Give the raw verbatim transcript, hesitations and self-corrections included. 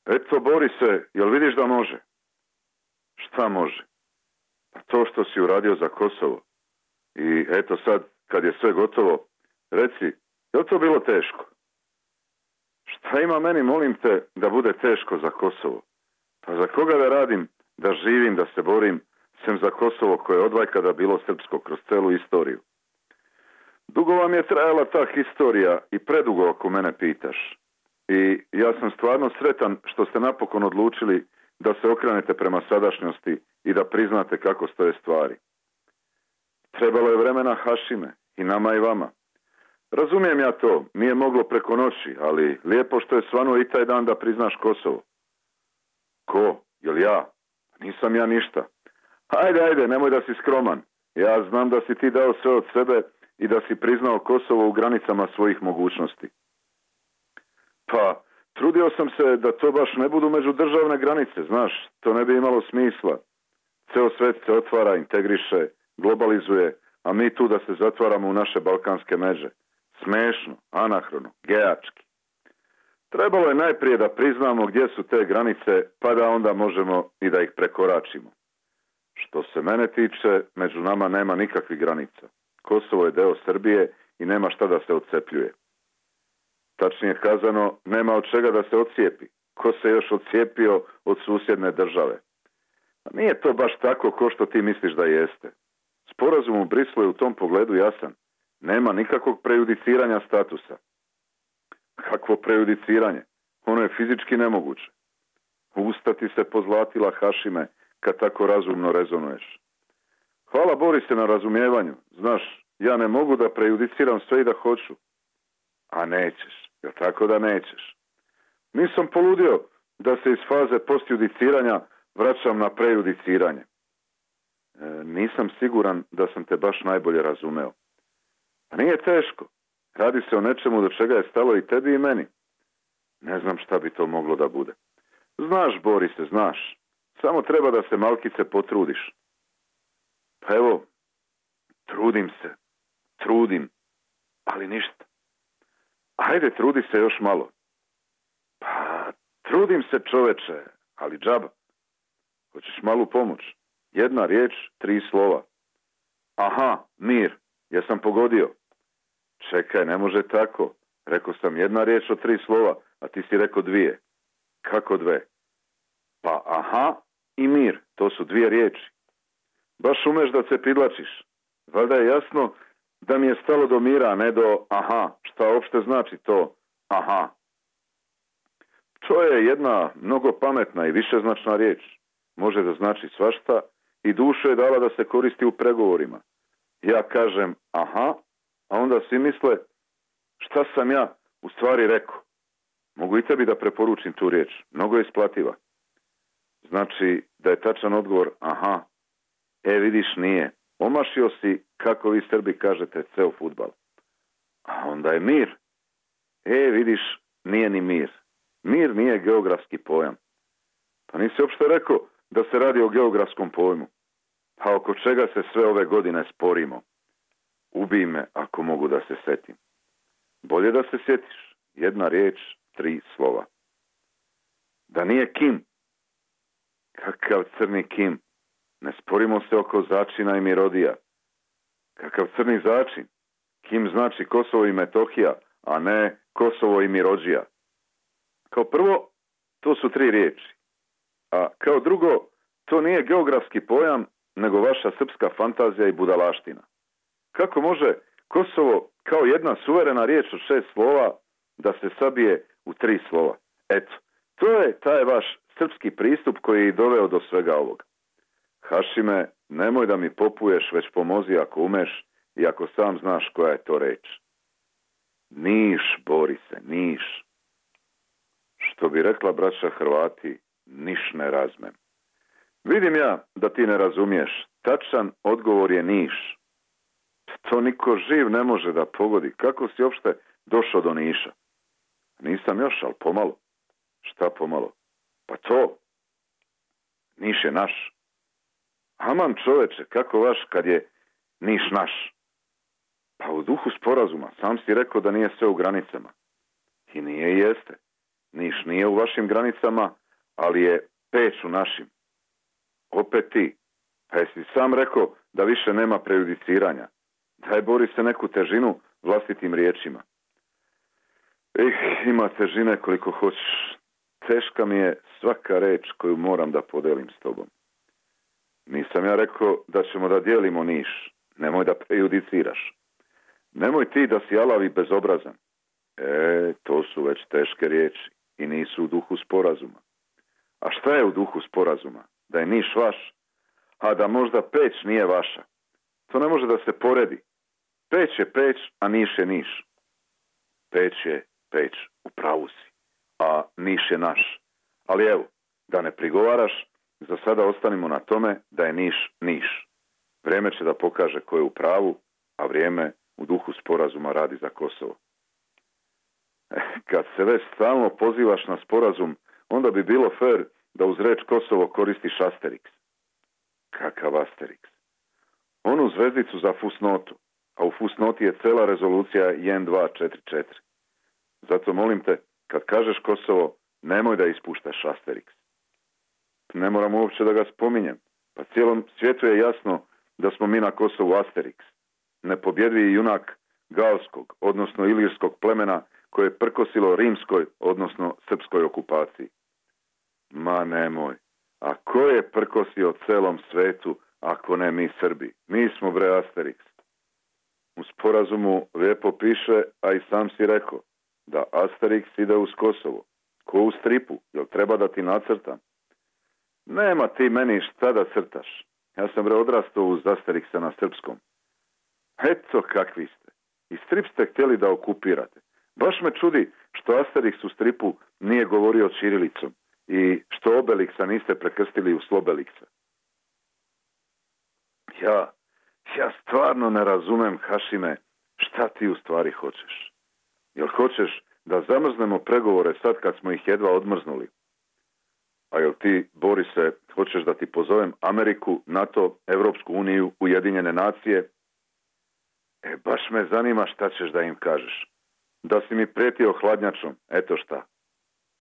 Eto, Borise, jel vidiš da može? Šta može? Pa to što si uradio za Kosovo. I eto sad, kad je sve gotovo, reci, je li to bilo teško? Šta ima meni, molim te, da bude teško za Kosovo? Pa za koga da radim, da živim, da se borim, sem za Kosovo koje je odvajkada bilo srpsko kroz celu istoriju? Dugo vam je trajala ta historija i predugo ako mene pitaš. I ja sam stvarno sretan što ste napokon odlučili da se okrenete prema sadašnjosti i da priznate kako stoje stvari. Trebalo je vremena, Hašime, i nama i vama. Razumijem ja to, nije moglo preko noći, ali lijepo što je svanuo i taj dan da priznaš Kosovo. Ko? Jel ja? Nisam ja ništa. Ajde, ajde, nemoj da si skroman. Ja znam da si ti dao sve od sebe i da si priznao Kosovo u granicama svojih mogućnosti. Pa, trudio sam se da to baš ne budu međudržavne granice, znaš, to ne bi imalo smisla. Ceo svet se otvara, integriše, globalizuje, a mi tu da se zatvaramo u naše balkanske međe. Smešno, anahrono, gejački. Trebalo je najprije da priznamo gdje su te granice, pa da onda možemo i da ih prekoračimo. Što se mene tiče, među nama nema nikakvih granica. Kosovo je deo Srbije i nema šta da se odcepljuje. Tačnije kazano, nema od čega da se odcijepi. Ko se još odcijepio od susjedne države? A nije to baš tako ko što ti misliš da jeste. Sporazum u Brislu je u tom pogledu jasan. Nema nikakvog prejudiciranja statusa. Kakvo prejudiciranje? Ono je fizički nemoguće. Usta ti se pozlatila, Hašime, kad tako razumno rezonuješ. Hvala Borise na razumijevanju. Znaš, ja ne mogu da prejudiciram sve i da hoću. A nećeš, jel tako da nećeš? Nisam poludio da se iz faze postjudiciranja vraćam na prejudiciranje. E, nisam siguran da sam te baš najbolje razumeo. A nije teško. Radi se o nečemu do čega je stalo i tebi i meni. Ne znam šta bi to moglo da bude. Znaš, Borise, znaš. Samo treba da se malkice potrudiš. Pa evo, trudim se. Trudim. Ali ništa. Ajde, trudi se još malo. Pa, trudim se, čoveče, ali džaba. Hoćeš malu pomoć? Jedna riječ, tri slova. Aha, mir. Jesam pogodio. Čekaj, ne može tako. Rekao sam jedna riječ od tri slova, a ti si rekao dvije. Kako dve? Pa aha i mir, to su dvije riječi. Baš umeš da se pridlačiš. Valjda je jasno da mi je stalo do mira, a ne do aha. Šta uopšte znači to aha? To je jedna mnogo pametna i višeznačna riječ. Može da znači svašta i duša je dala da se koristi u pregovorima. Ja kažem aha, a onda svi misle šta sam ja u stvari rekao. Mogu i tebi da preporučim tu riječ. Mnogo je isplativa. Znači da je tačan odgovor aha. E vidiš nije. Omašio si, kako vi Srbi kažete, ceo fudbal. A onda je mir. E vidiš, nije ni mir. Mir nije geografski pojam. Pa nisi uopšte rekao da se radi o geografskom pojmu. Pa oko čega se sve ove godine sporimo? Ubij me ako mogu da se setim. Bolje da se sjetiš. Jedna riječ, tri slova. Da nije Kim. Kakav crni Kim. Ne sporimo se oko začina i mirodija. Kakav crni začin. Kim znači Kosovo i Metohija, a ne Kosovo i Mirodžija. Kao prvo, to su tri riječi. A kao drugo, to nije geografski pojam, nego vaša srpska fantazija i budalaština. Kako može Kosovo kao jedna suverena riječ od šest slova da se sabije u tri slova? Eto, to je taj vaš srpski pristup koji je doveo do svega ovoga. Hašime, nemoj da mi popuješ, već pomozi ako umeš i ako sam znaš koja je to reč. Niš, Borise, Niš. Što bi rekla braća Hrvati, niš ne razmem. Vidim ja da ti ne razumiješ. Tačan odgovor je Niš. To niko živ ne može da pogodi. Kako si uopšte došao do Niša? Nisam još, ali pomalo. Šta pomalo? Pa to. Niš je naš. Aman čoveče, kako vaš kad je Niš naš? Pa u duhu sporazuma. Sam si rekao da nije sve u granicama. I nije i jeste. Niš nije u vašim granicama, ali je Peć u našim. Opet ti. Pa jesi sam rekao da više nema prejudiciranja. Daj bori se neku težinu vlastitim riječima. Eh, ima težine koliko hoćeš. Teška mi je svaka reč koju moram da podelim s tobom. Nisam ja rekao da ćemo da dijelimo Niš. Nemoj da prejudiciraš. Nemoj ti da si alav i bezobrazan. E, to su već teške riječi i nisu u duhu sporazuma. A šta je u duhu sporazuma? Da je Niš vaš, a da možda Peć nije vaša. To ne može da se poredi. Peć je Peć, a Niš je Niš. Peć je Peć, u pravu si, a Niš je naš. Ali evo, da ne prigovaraš, za sada ostanimo na tome da je Niš Niš. Vrijeme će da pokaže ko je u pravu, a vrijeme u duhu sporazuma radi za Kosovo. Kad se već stalno pozivaš na sporazum, onda bi bilo fair da uz reč Kosovo koristiš Asterix. Kakav Asterix? Onu zvezdicu za fusnotu, a u fusnoti je cela rezolucija jedan dva četiri četiri. Zato molim te, kad kažeš Kosovo, nemoj da ispuštaš Asterix. Ne moram uopće da ga spominjem, pa cijelom svijetu je jasno da smo mi na Kosovu Asterix. Nepobjedivi junak galskog, odnosno ilirskog plemena koje je prkosilo rimskoj, odnosno srpskoj okupaciji. Ma nemoj, a ko je prkosio celom svetu ako ne mi Srbi? Mi smo bre Asterix. U sporazumu lijepo piše, a i sam si rekao, da Asterix ide uz Kosovo. Ko u stripu, jel treba da ti nacrtam? Nema ti meni šta da crtaš. Ja sam bre odrastao uz Asterixa na srpskom. Eto kakvi ste. I strip ste htjeli da okupirate. Baš me čudi što Asterix u stripu nije govorio ćirilicom i što Obelixa niste prekrstili u Slobelixa. Ja, ja stvarno ne razumem, Hašime, šta ti u stvari hoćeš. Jel hoćeš da zamrznemo pregovore sad kad smo ih jedva odmrznuli? A jel ti, Borise, hoćeš da ti pozovem Ameriku, NATO, Evropsku uniju, Ujedinjene nacije? E, baš me zanima šta ćeš da im kažeš. Da si mi prijetio hladnjačom, eto šta.